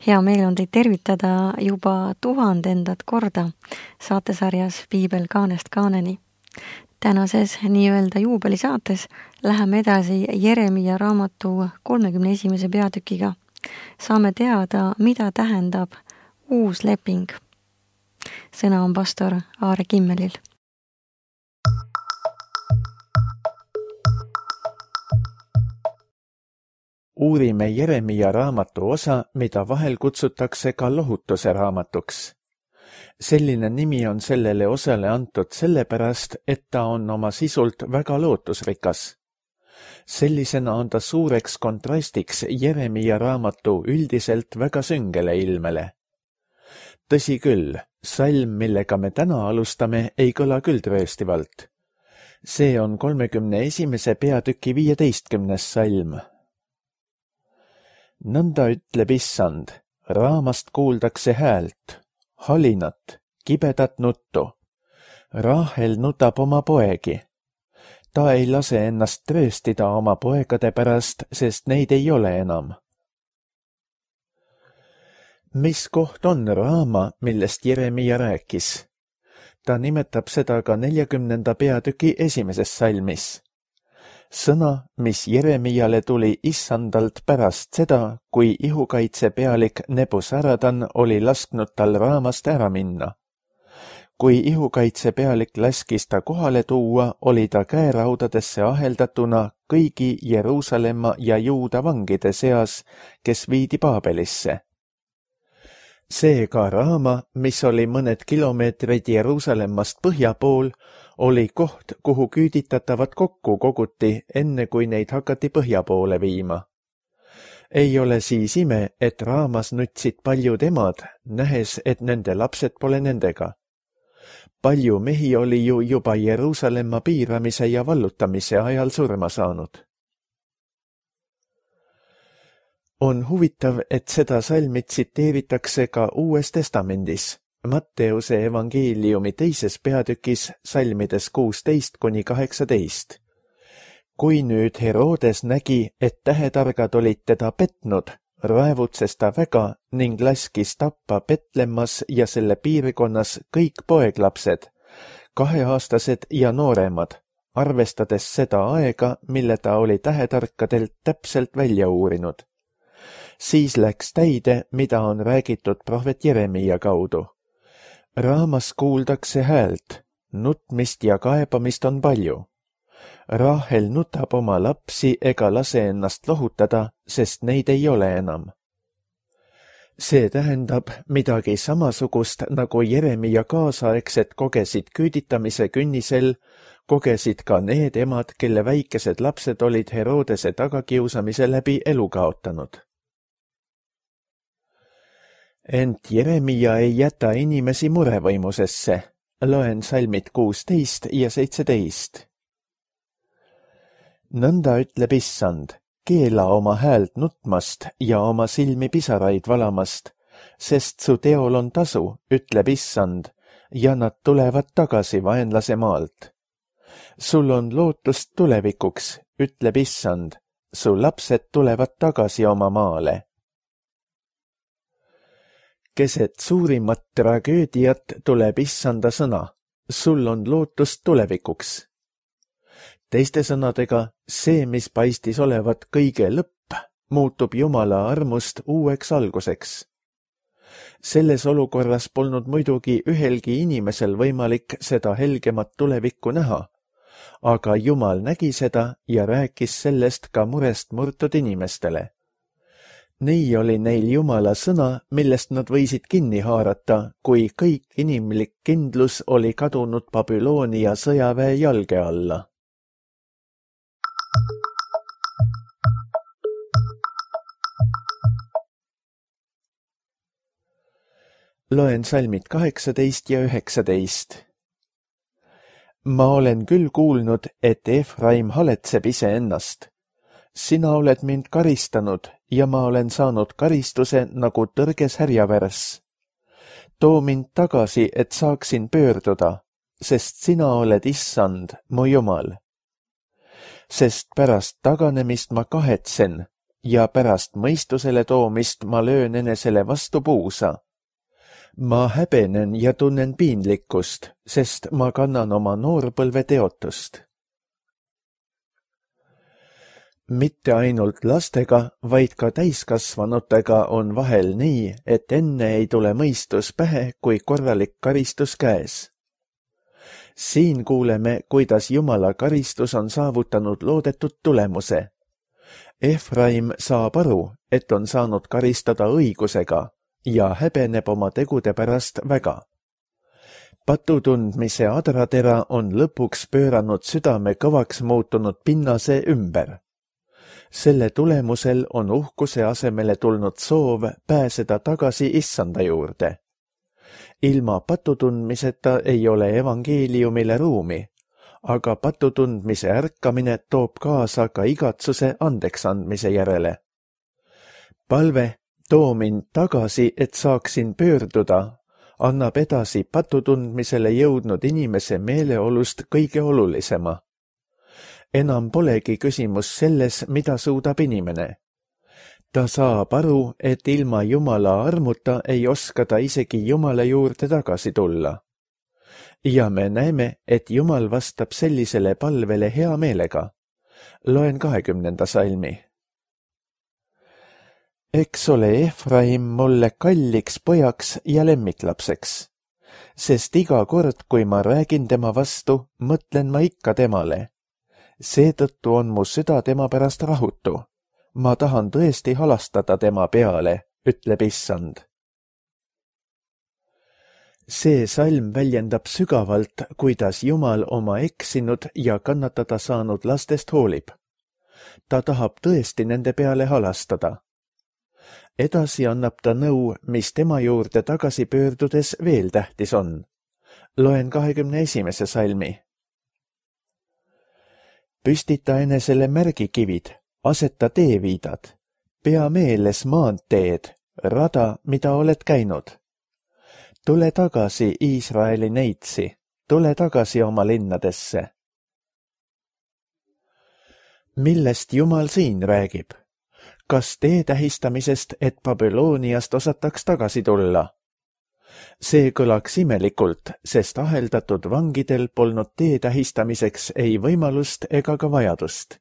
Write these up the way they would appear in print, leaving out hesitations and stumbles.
Hea meel on teid tervitada juba 1000. korda saatesarjas Piibel kaanest kaaneni. Tänases nii-öelda juubelisaates läheme edasi Jeremia raamatu 31. peatükiga. Saame teada, mida tähendab uus leping. Sõna on pastor Aare Kimmelil. Uurime Jeremia raamatu osa, mida vahel kutsutakse ka lohutuse raamatuks. Selline nimi on sellele osale antud sellepärast, et ta on oma sisult väga lootusrikas. Sellisena on ta suureks kontrastiks Jeremia raamatu üldiselt väga süngele ilmele. Tõsi küll, salm, millega me täna alustame, ei kõla küll trööstivalt. See on 31. peatüki 15. salm. Nõnda ütleb Issand, raamast kuuldakse häält, halinat, kibedat nuttu. Rahel nutab oma poegi. Ta ei lase ennast trööstida oma poegade pärast, sest neid ei ole enam. Mis koht on raama, millest Jeremia rääkis? Ta nimetab seda ka 40. peatüki 1. salmis. Sõna, mis Jeremiale tuli Issandalt pärast seda, kui ihukaitsepealik Nebuzaradan oli lasknud tal raamast ära minna. Kui ihukaitsepealik laskis ta kohale tuua, oli ta käeraudadesse aheldatuna kõigi Jeruusalemma ja Juuda vangide seas, kes viidi Paabelisse. Seega raama, mis oli mõned kilomeetrid Jeruusalemmast põhja pool, oli koht, kuhu küüditatavad kokku koguti, enne kui neid hakati põhja poole viima. Ei ole siis ime, et raamas nutsid paljud emad, nähes, et nende lapsed pole nendega. Palju mehi oli ju juba Jeruusalemma piiramise ja vallutamise ajal surma saanud. On huvitav, et seda salmi tsiteeritakse ka Uues Testamendis. Matteuse evangeeliumi 2. peatükis salmides 16-18. Kui nüüd Herodes nägi, et tähetargad olid teda petnud, raevutses ta väga ning laskis tappa Petlemmas ja selle piirkonnas kõik poeglapsed, 2-aastased ja nooremad, arvestades seda aega, mille ta oli tähetarkadelt täpselt välja uurinud. Siis läks täide, mida on räägitud prohvet Jeremia kaudu. Raamas kuuldakse häält, nutmist ja kaebamist on palju. Rahel nutab oma lapsi ega lase ennast lohutada, sest neid ei ole enam. See tähendab midagi samasugust, nagu Jeremia kaasaegsed kogesid küüditamise künnisel, kogesid ka need emad, kelle väikesed lapsed olid Herodese tagakiusamise läbi elu kaotanud. Ent Jeremia ei jäta inimesi murevõimusesse. Loen salmid 16 ja 17. Nõnda ütleb Issand, keela oma häält nutmast ja oma silmi pisaraid valamast, sest su teol on tasu, ütleb Issand, ja nad tulevad tagasi vaenlase maalt. Sul on lootust tulevikuks, ütleb Issand, su lapsed tulevad tagasi oma maale. Keset suurimat tragöödiat tuleb Issanda sõna, sul on lootust tulevikuks. Teiste sõnadega, see, mis paistis olevat kõige lõpp, muutub Jumala armust uueks alguseks. Selles olukorras polnud muidugi ühelgi inimesel võimalik seda helgemat tulevikku näha, aga Jumal nägi seda ja rääkis sellest ka murest murtud inimestele. Nii oli neil Jumala sõna, millest nad võisid kinni haarata, kui kõik inimlik kindlus oli kadunud Babyloonia sõjaväe jalge alla. Loen salmid 18 ja 19. Ma olen küll kuulnud, et Efraim haletseb iseennast. Sina oled mind karistanud ja ma olen saanud karistuse nagu tõrges härjavärss. Too mind tagasi, et saaksin pöörduda, sest sina oled Issand, mu Jumal. Sest pärast taganemist ma kahetsen ja pärast mõistusele toomist ma löön enesele vastu puusa. Ma häbenen ja tunnen piinlikkust, sest ma kannan oma noorpõlve teotust. Mitte ainult lastega, vaid ka täiskasvanutega on vahel nii, et enne ei tule mõistus pähe, kui korralik karistus käes. Siin kuuleme, kuidas Jumala karistus on saavutanud loodetud tulemuse. Efraim saab aru, et on saanud karistada õigusega ja häbeneb oma tegude pärast väga. Patutundmise adratera on lõpuks pööranud südame kõvaks muutunud pinnase ümber. Selle tulemusel on uhkuse asemele tulnud soov pääseda tagasi Issanda juurde. Ilma patutundmiseta ei ole evangeeliumile ruumi, aga patutundmise ärkamine toob kaasa ka igatsuse andeksandmise järele. Palve, too mind tagasi, et saaksin pöörduda, annab edasi patutundmisele jõudnud inimese meeleolust kõige olulisema. Enam polegi küsimus selles, mida suudab inimene. Ta saab aru, et ilma Jumala armuta ei oska ta isegi Jumala juurde tagasi tulla. Ja me näeme, et Jumal vastab sellisele palvele hea meelega. Loen 20. salmi. Eks ole Efraim mulle kalliks pojaks ja lemmiklapseks, sest iga kord, kui ma räägin tema vastu, mõtlen ma ikka temale. Seetõttu on mu süda tema pärast rahutu. Ma tahan tõesti halastada tema peale, ütleb Issand. See salm väljendab sügavalt, kuidas Jumal oma eksinud ja kannatada saanud lastest hoolib. Ta tahab tõesti nende peale halastada. Edasi annab ta nõu, mis tema juurde tagasi pöördudes veel tähtis on. Loen 21. salmi. Püstita enesele märgikivid, aseta teeviidad, pea meeles maanteed, rada, mida oled käinud. Tule tagasi Iisraeli neitsi, tule tagasi oma linnadesse. Millest Jumal siin räägib? Kas tee tähistamisest, et Babyloniast osataks tagasi tulla? See kõlaks imelikult, sest aheldatud vangidel polnud tee tähistamiseks ei võimalust ega ka vajadust.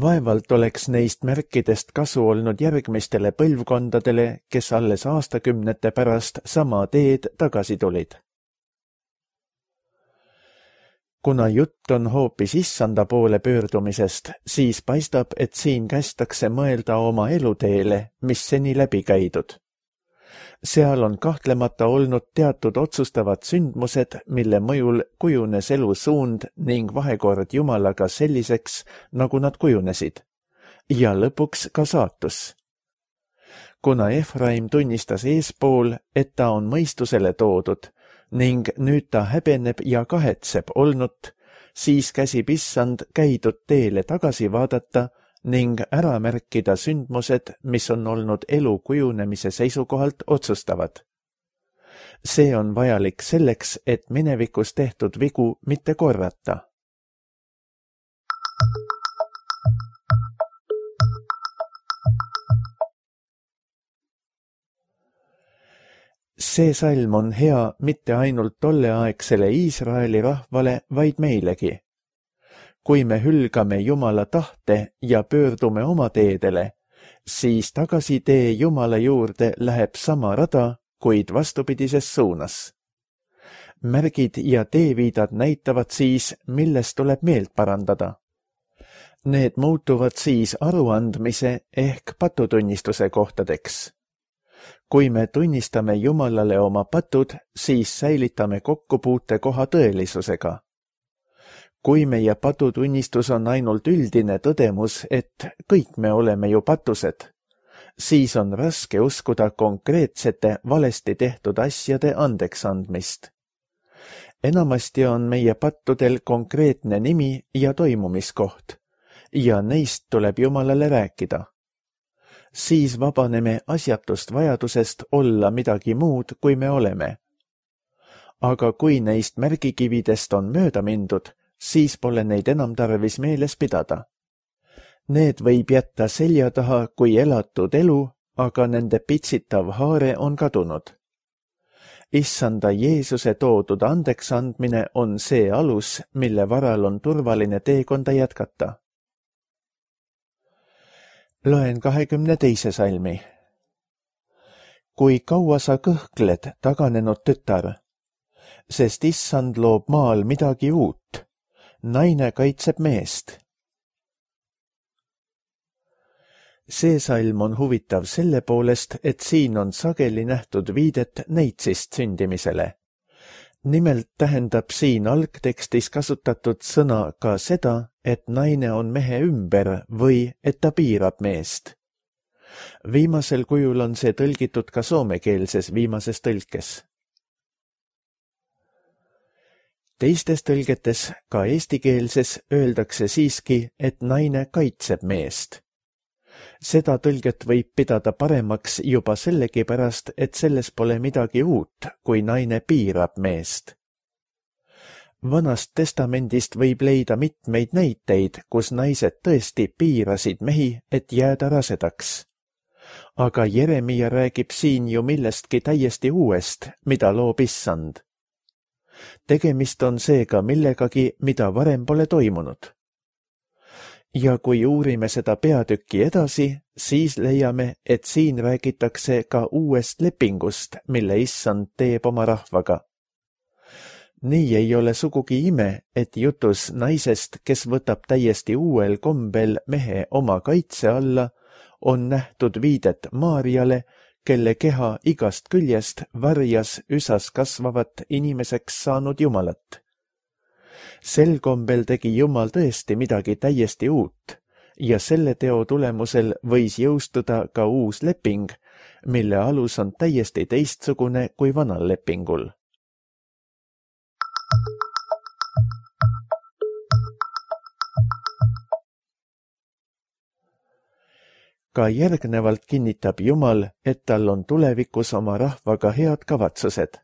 Vaevalt oleks neist märkidest kasu olnud järgmistele põlvkondadele, kes alles aastakümnete pärast sama teed tagasi tulid. Kuna jutt on hoopis Issanda poole pöördumisest, siis paistab, et siin kästakse mõelda oma eluteele, mis seni läbi käidud. Seal on kahtlemata olnud teatud otsustavad sündmused, mille mõjul kujunes elu suund ning vahekord Jumalaga selliseks, nagu nad kujunesid, ja lõpuks ka saatus. Kuna Efraim tunnistas eespool, et ta on mõistusele toodud ning nüüd ta häbeneb ja kahetseb olnut, siis käsib Issand käidud teele tagasi vaadata ning ära märkida sündmused, mis on olnud elu kujunemise seisukohalt otsustavad. See on vajalik selleks, et minevikus tehtud vigu mitte korrata. See salm on hea mitte ainult tolleaegsele Iisraeli rahvale, vaid meilegi. Kui me hülgame Jumala tahte ja pöördume oma teedele, siis tagasitee Jumala juurde läheb sama rada, kuid vastupidises suunas. Märgid ja teeviidad näitavad siis, millest tuleb meelt parandada. Need muutuvad siis aruandmise ehk patutunnistuse kohtadeks. Kui me tunnistame Jumalale oma patud, siis säilitame kokkupuute koha tõelisusega. Kui meie patutunnistus on ainult üldine tõdemus, et kõik me oleme ju patused, siis on raske uskuda konkreetsete valesti tehtud asjade andeksandmist. Enamasti on meie pattudel konkreetne nimi ja toimumiskoht, ja neist tuleb Jumalale rääkida. Siis vabaneme asjatust vajadusest olla midagi muud, kui me oleme. Aga kui neist märgikividest on mööda mindud, siis pole neid enam tarvis meeles pidada. Need võib jätta selja taha kui elatud elu, aga nende pitsitav haare on kadunud. Issanda Jeesuse toodud andeks andmine on see alus, mille varal on turvaline teekonda jätkata. Loen 22. salmi. Kui kaua sa kõhkled, taganenud tütar, sest Issand loob maal midagi uut, naine kaitseb meest. See salm on huvitav selle poolest, et siin on sageli nähtud viidet neitsist sündimisele. Nimelt tähendab siin algtekstis kasutatud sõna ka seda, et naine on mehe ümber või et ta piirab meest. Viimasel kujul on see tõlgitud ka soomekeelses viimases tõlkes. Teistes tõlgetes, ka eestikeelses, öeldakse siiski, et naine kaitseb meest. Seda tõlget võib pidada paremaks juba sellegipärast, et selles pole midagi uut, kui naine piirab meest. Vanast testamendist võib leida mitmeid näiteid, kus naised tõesti piirasid mehi, et jääda rasedaks. Aga Jeremia räägib siin ju millestki täiesti uuest, mida loob Issand. Tegemist on seega millegagi, mida varem pole toimunud. Ja kui uurime seda peatükki edasi, siis leiame, et siin räägitakse ka uuest lepingust, mille Issand teeb oma rahvaga. Nii ei ole sugugi ime, et jutus naisest, kes võtab täiesti uuel kombel mehe oma kaitse alla, on nähtud viidet Maarjale, kelle keha igast küljest varjas üsas kasvavat inimeseks saanud Jumalat. Sel kombel tegi Jumal tõesti midagi täiesti uut ja selle teo tulemusel võis jõustuda ka uus leping, mille alus on täiesti teistsugune kui vanal lepingul. Ka järgnevalt kinnitab Jumal, et tal on tulevikus oma rahvaga head kavatsused.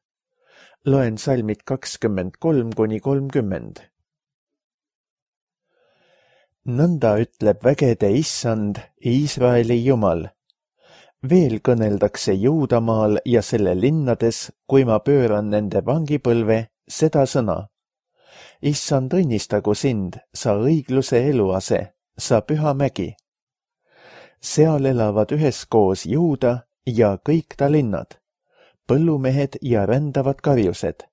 Loen salmid 23–30. Nõnda ütleb vägede Issand, Iisraeli Jumal. Veel kõneldakse Juudamaal ja selle linnades, kui ma pööran nende vangipõlve, seda sõna. Issand õnnistagu sind, sa õigluse eluase, sa püha mägi. Seal elavad üheskoos Juuda ja kõik ta linnad, põllumehed ja rändavad karjused,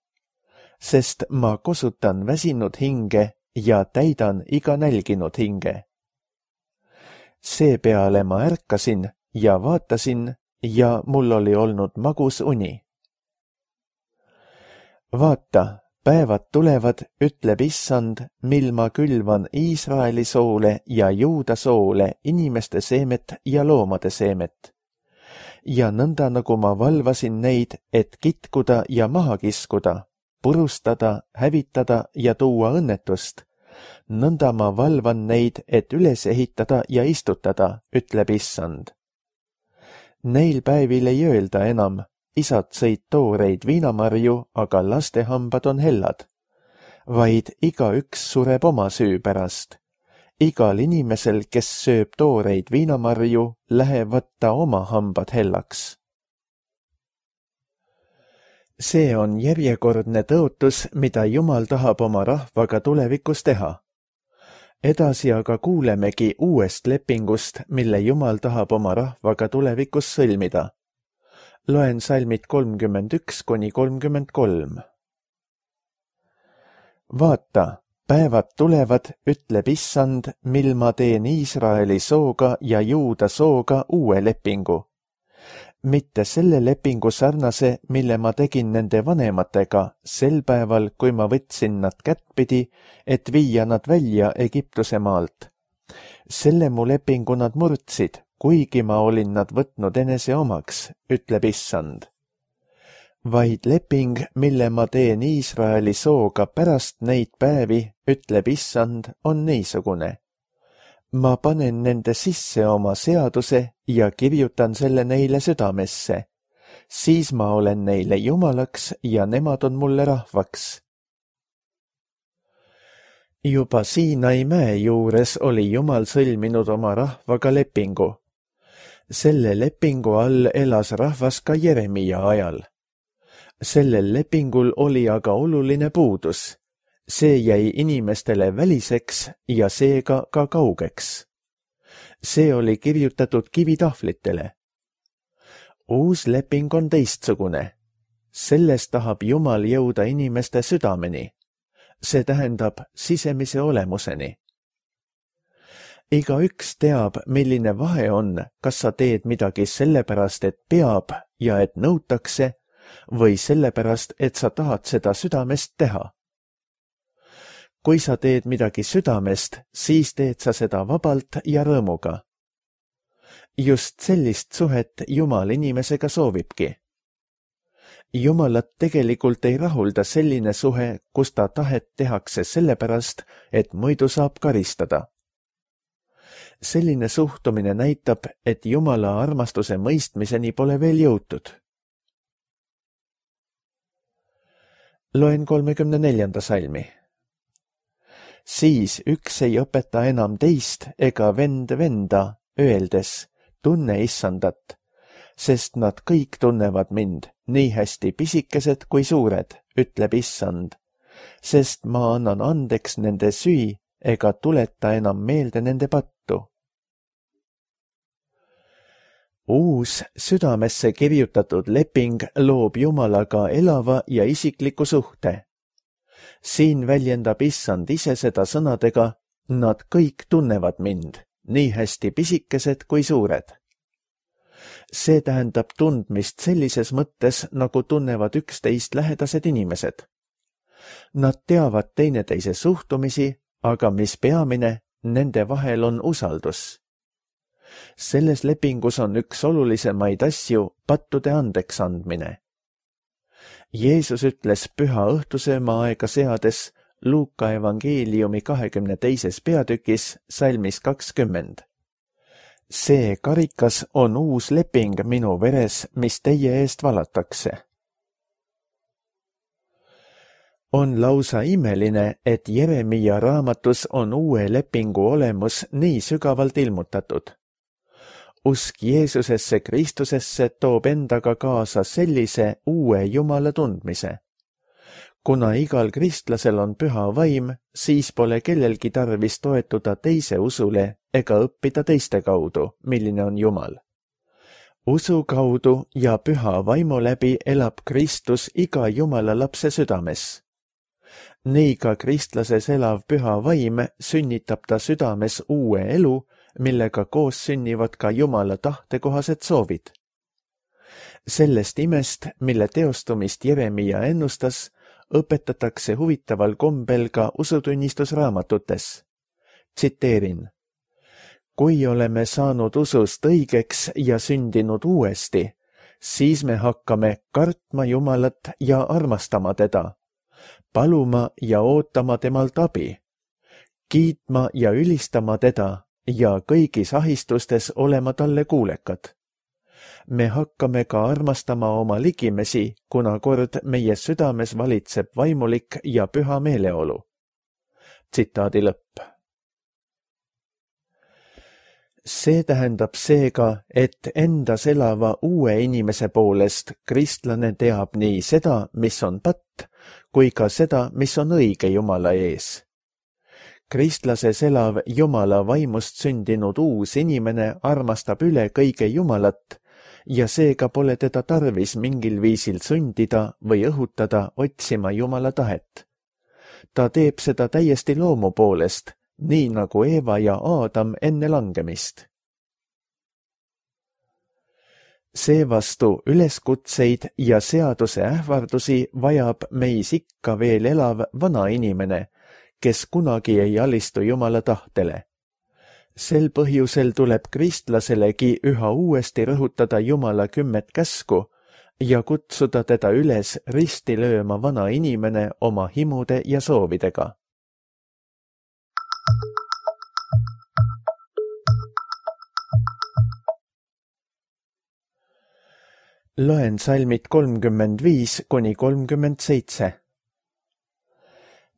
sest ma kosutan väsinud hinge ja täidan iga nälginud hinge. Seepeale ma ärkasin ja vaatasin ja mul oli olnud magus uni. Vaata, päevad tulevad, ütleb Issand, mil ma külvan Iisraeli soole ja Juuda soole inimeste seemet ja loomade seemet. Ja nõnda nagu ma valvasin neid, et kitkuda ja maha kiskuda, purustada, hävitada ja tuua õnnetust, nõnda ma valvan neid, et üles ehitada ja istutada, ütleb Issand. Neil päevil ei öelda enam, isad sõid tooreid viinamarju, aga laste hambad on hellad, vaid igaüks sureb oma süü pärast. Igal inimesel, kes sööb tooreid viinamarju, lähevad ta oma hambad hellaks. See on järjekordne tõotus, mida Jumal tahab oma rahvaga tulevikus teha. Edasi aga kuulemegi uuest lepingust, mille Jumal tahab oma rahvaga tulevikus sõlmida. Loen salmid 31–33. Vaata, päevad tulevad, ütleb Issand, mil ma teen Iisraeli sooga ja Juuda sooga uue lepingu. Mitte selle lepingu sarnase, mille ma tegin nende vanematega sel päeval, kui ma võtsin nad kättpidi, et viia nad välja Egiptuse maalt. Selle mu lepingu nad murdsid, kuigi ma olin nad võtnud enese omaks, ütleb Issand. Vaid leping, mille ma teen Iisraeli sooga pärast neid päevi, ütleb Issand, on niisugune. Ma panen nende sisse oma seaduse ja kirjutan selle neile südamesse. Siis ma olen neile Jumalaks ja nemad on mulle rahvaks. Juba Siinai mäe juures oli Jumal sõlminud oma rahvaga lepingu. Selle lepingu all elas rahvas ka Jeremia ajal. Sellel lepingul oli aga oluline puudus. See jäi inimestele väliseks ja seega ka kaugeks. See oli kirjutatud kivitahvlitele. Uus leping on teistsugune. Selles tahab Jumal jõuda inimeste südameni. See tähendab sisemise olemuseni. Igaüks teab, milline vahe on, kas sa teed midagi sellepärast, et peab ja et nõutakse, või sellepärast, et sa tahad seda südamest teha. Kui sa teed midagi südamest, siis teed sa seda vabalt ja rõõmuga. Just sellist suhet Jumal inimesega soovibki. Jumalat tegelikult ei rahulda selline suhe, kus ta tahet tehakse sellepärast, et muidu saab karistada. Selline suhtumine näitab, et Jumala armastuse mõistmiseni pole veel jõutud. Loen 34. salmi. Siis üks ei õpeta enam teist ega vend venda, öeldes, tunne issandat, sest nad kõik tunnevad mind, nii hästi pisikesed kui suured, ütleb issand, sest ma annan andeks nende süü ega tuleta enam meelde nende pattu. Uus südamesse kirjutatud leping loob Jumalaga elava ja isikliku suhte. Siin väljendab issand ise seda sõnadega, nad kõik tunnevad mind, nii hästi pisikesed kui suured. See tähendab tundmist sellises mõttes, nagu tunnevad üksteist lähedased inimesed. Nad teavad teineteise suhtumisi, aga mis peamine, nende vahel on usaldus. Selles lepingus on üks olulisemaid asju pattude andeks andmine. Jeesus ütles püha õhtusööma aega seades Luuka evangeeliumi 22. peatükis salmis 20. See karikas on uus leping minu veres, mis teie eest valatakse. On lausa imeline, et Jeremia raamatus on uue lepingu olemus nii sügavalt ilmutatud. Usk Jeesusesse Kristusesse toob endaga kaasa sellise uue Jumala tundmise. Kuna igal kristlasel on püha vaim, siis pole kellelgi tarvis toetuda teise usule ega õppida teiste kaudu, milline on Jumal. Usu kaudu ja püha vaimu läbi elab Kristus iga Jumala lapse südames. Nii ka kristlases elav püha vaim sünnitab ta südames uue elu, millega koos sünnivad ka Jumala tahtekohased soovid. Sellest imest, mille teostumist Jeremia ennustas, õpetatakse huvitaval kombel ka usutunnistusraamatutes. Tsiteerin. Kui oleme saanud usust õigeks ja sündinud uuesti, siis me hakkame kartma Jumalat ja armastama teda, paluma ja ootama temalt abi, kiitma ja ülistama teda ja kõigis ahistustes olema talle kuulekad. Me hakkame ka armastama oma ligimesi, kuna kord meie südames valitseb vaimulik ja püha meeleolu. Tsitaadi lõpp. See tähendab seega, et endas elava uue inimese poolest kristlane teab nii seda, mis on patt, kui ka seda, mis on õige Jumala ees. Kristlases elav Jumala vaimust sündinud uus inimene armastab üle kõige Jumalat ja seega pole teda tarvis mingil viisil sundida või õhutada otsima Jumala tahet. Ta teeb seda täiesti loomu poolest, nii nagu Eeva ja Aadam enne langemist. Seevastu üleskutseid ja seaduse ähvardusi vajab meis ikka veel elav vana inimene, kes kunagi ei alistu Jumala tahtele. Sel põhjusel tuleb kristlaselegi üha uuesti rõhutada Jumala 10 käsku ja kutsuda teda üles risti lööma vana inimene oma himude ja soovidega. Loen salmid 35–37.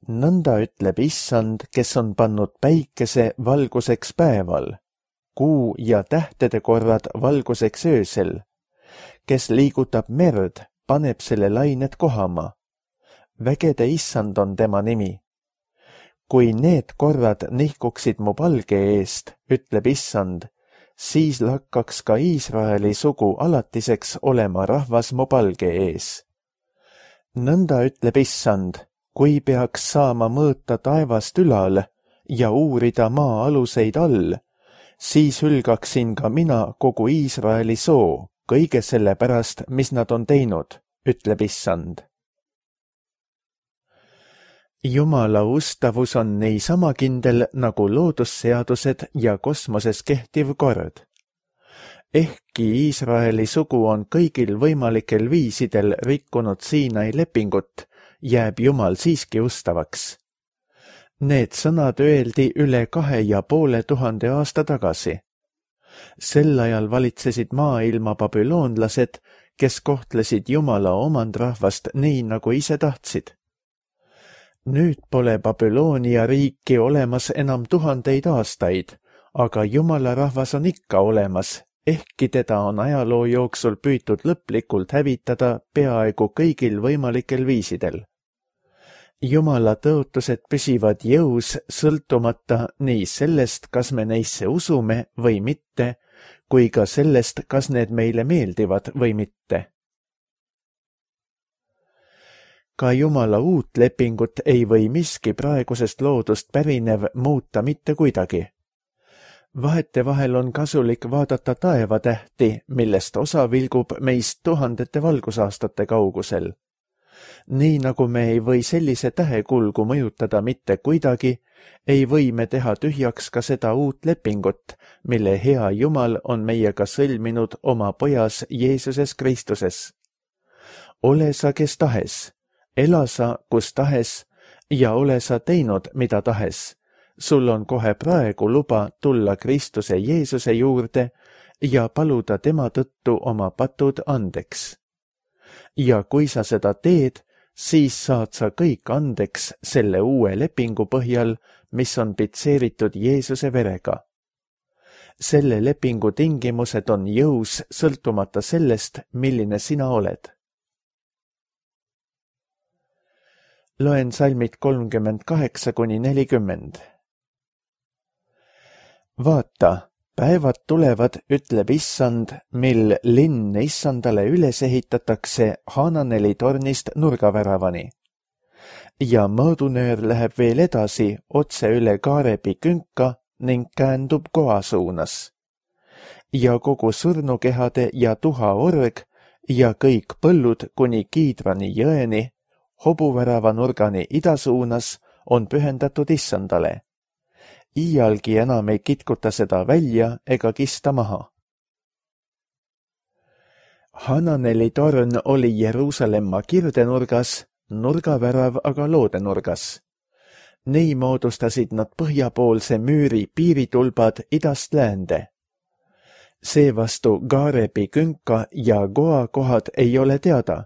nõnda ütleb Issand, kes on pannud päikese valguseks päeval, kuu ja tähtede korrad valguseks öösel, kes liigutab merd, paneb selle lained kohama. Vägede Issand on tema nimi. Kui need korrad nihkuksid mu palge eest, ütleb Issand, siis lakkaks ka Iisraeli sugu alatiseks olema rahvas mu palge ees. Nõnda ütleb Issand, kui peaks saama mõõta taevast ülal ja uurida maa aluseid all, siis hülgaksin ka mina kogu Iisraeli soo, kõige selle pärast, mis nad on teinud, ütleb Issand. Jumala ustavus on niisama kindel nagu loodusseadused ja kosmoses kehtiv kord. Ehkki Iisraeli sugu on kõigil võimalikel viisidel rikkunud Siinai lepingut, jääb Jumal siiski ustavaks. Need sõnad öeldi üle 2500 aasta tagasi. Sel ajal valitsesid maailma babüloonlased, kes kohtlesid Jumala omandrahvast nii, nagu ise tahtsid. Nüüd pole Babyloonia riiki olemas enam 1000 aastaid, aga Jumala rahvas on ikka olemas, ehkki teda on ajaloo jooksul püütud lõplikult hävitada peaaegu kõigil võimalikel viisidel. Jumala tõotused püsivad jõus sõltumata nii sellest, kas me neisse usume või mitte, kui ka sellest, kas need meile meeldivad või mitte. Ka Jumala uut lepingut ei või miski praegusest loodust pärinev muuta mitte kuidagi. Vahetevahel on kasulik vaadata taevatähti, millest osa vilgub meist 1000 valgusaastate kaugusel. Nii nagu me ei või sellise tähekulgu mõjutada mitte kuidagi, ei või me teha tühjaks ka seda uut lepingut, mille hea Jumal on meiega sõlminud oma pojas Jeesuses Kristuses. Ole sa kes tahes, ela sa kus tahes ja ole sa teinud mida tahes. Sul on kohe praegu luba tulla Kristuse Jeesuse juurde ja paluda tema tõttu oma patud andeks. Ja kui sa seda teed, siis saad sa kõik andeks selle uue lepingu põhjal, mis on pitseeritud Jeesuse verega. Selle lepingu tingimused on jõus sõltumata sellest, milline sina oled. Loen salmid 38–40. Vaata, päevad tulevad, ütleb Issand, mil linn Issandale üles ehitatakse Hananeli tornist nurgaväravani. Ja mõõdunöör läheb veel edasi otse üle Kaarebi künka ning käändub Goa suunas. Ja kogu surnukehade ja tuhaorg ja kõik põllud kuni Kiidrani jõeni, hobuvärava nurgani idasuunas on pühendatud Issandale. Iialgi enam ei kitkuta seda välja ega kista maha. Hananeli torn oli Jeruusalemma kirdenurgas, nurgavärav aga loodenurgas. Nii moodustasid nad põhjapoolse müüri piiritulbad idast läände. Seevastu Kaarebi künka ja Goa kohad ei ole teada,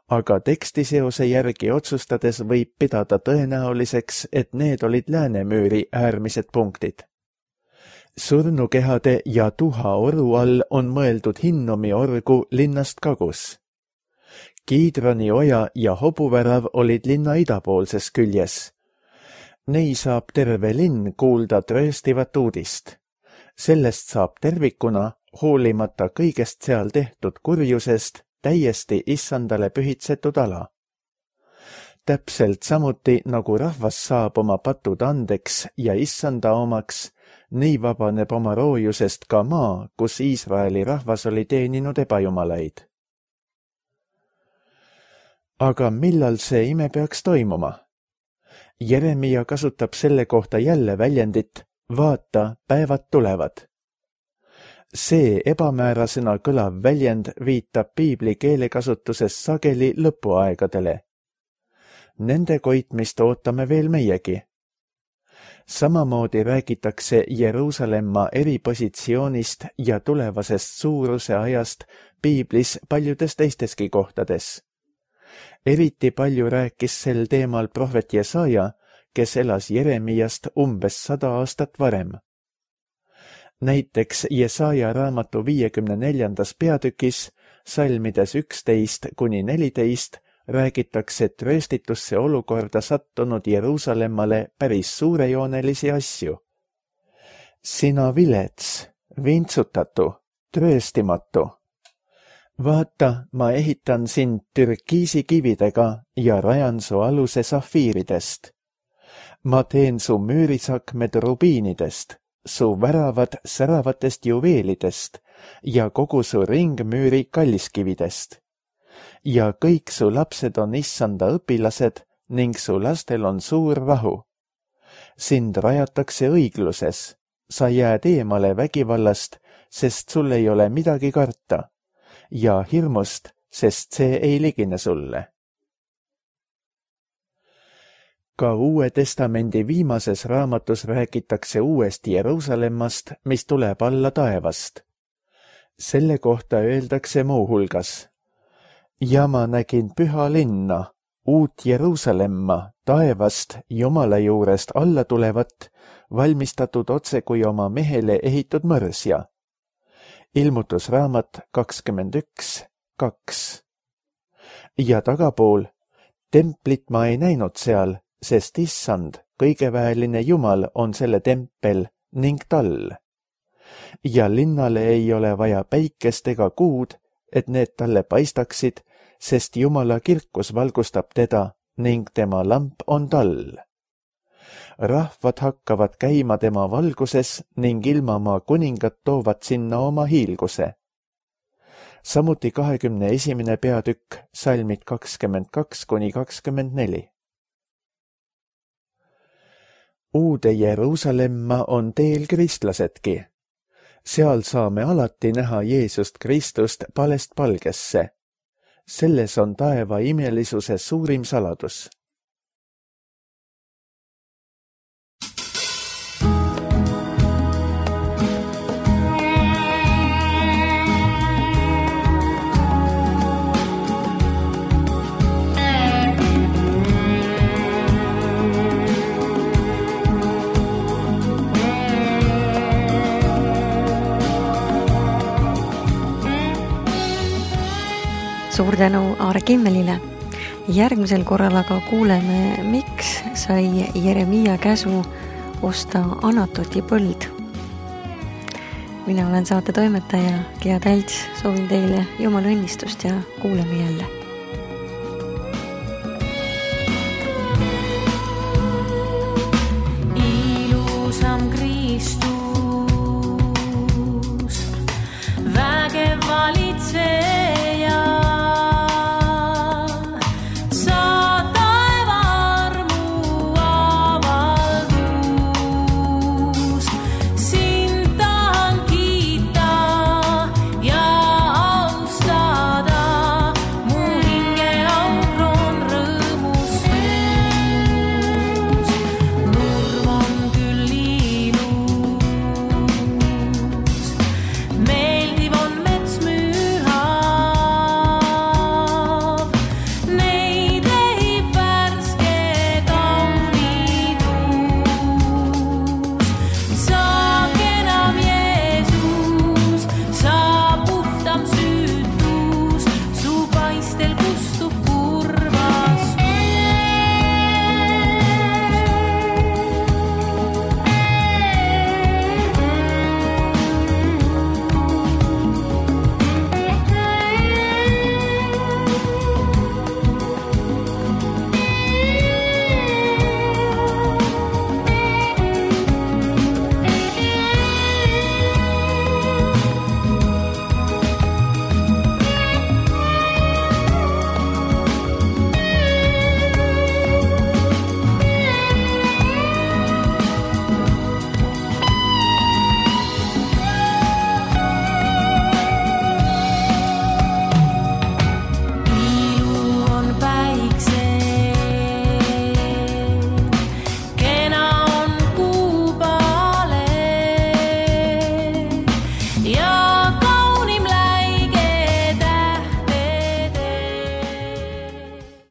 aga tekstiseose järgi otsustades võib pidada tõenäoliseks, et need olid Läänemüüri äärmised punktid. Surnukehade ja tuhaoru all on mõeldud Hinnomi orgu linnast kagus. Kiidrani oja ja hobuvärav olid linna idapoolses küljes. Nei saab terve linn kuulda trööstivat uudist. Sellest saab tervikuna, hoolimata kõigest seal tehtud kurjusest, täiesti Issandale pühitsetud ala. Täpselt samuti, nagu rahvas saab oma patud andeks ja Issanda omaks, nii vabaneb oma roojusest ka maa, kus Iisraeli rahvas oli teeninud ebajumalaid. Aga millal see ime peaks toimuma? Jeremia kasutab selle kohta jälle väljendit, vaata, päevad tulevad. See ebamäärasena kõlav väljend viitab piibli keelekasutuses sageli lõpuaegadele. Nende koitmist ootame veel meiegi. Samamoodi räägitakse Jeruusalemma eripositsioonist ja tulevasest suuruse ajast piiblis paljudes teisteski kohtades. Eriti palju rääkis sel teemal prohvet Jesaja, kes elas Jeremiast umbes 100 aastat varem. Näiteks Jesaja raamatu 54. peatükis salmides 11-14 räägitakse trööstitusse olukorda sattunud Jeruusalemmale päris suurejoonelisi asju. Sina vilets, vintsutatu, trööstimatu. Vaata, ma ehitan sind türkiisi kividega ja rajan su aluse safiiridest. Ma teen su müürisakmed rubiinidest, su väravad säravatest juveelidest ja kogu su ringmüüri kalliskividest. Ja kõik su lapsed on issanda õpilased ning su lastel on suur rahu. Sind rajatakse õigluses, sa jääd eemale vägivallast, sest sul ei ole midagi karta, ja hirmust, sest see ei ligine sulle. Ka Uue Testamendi viimases raamatus räägitakse uuest Jeruusalemmast, mis tuleb alla taevast. Selle kohta öeldakse muuhulgas: ja ma nägin püha linna, uut Jeruusalemma, taevast Jumala juurest alla tulevat, valmistatud otse kui oma mehele ehitud mõrsja. Ilmutusraamat 21:2. Ja tagapool, templit ma ei näinud seal, sest issand, kõigeväeline Jumal on selle tempel ning tall. Ja linnale ei ole vaja päikest ega kuud, et need talle paistaksid, sest Jumala kirkus valgustab teda ning tema lamp on tall. Rahvad hakkavad käima tema valguses ning ilmamaa kuningad toovad sinna oma hiilguse. Samuti 21. peatükk, salmid 22-24. Uude Jeruusalemma on teel kristlasedki. Seal saame alati näha Jeesust Kristust palest palgesse. Selles on taeva imelisuse suurim saladus. Suur tänu Aare Kimmelile. Järgmisel korral aga kuuleme, miks sai Jeremia käsu osta Anatoti põld. Mina olen saate toimetaja Gea Tälts, soovin teile Jumala õnnistust ja kuuleme jälle.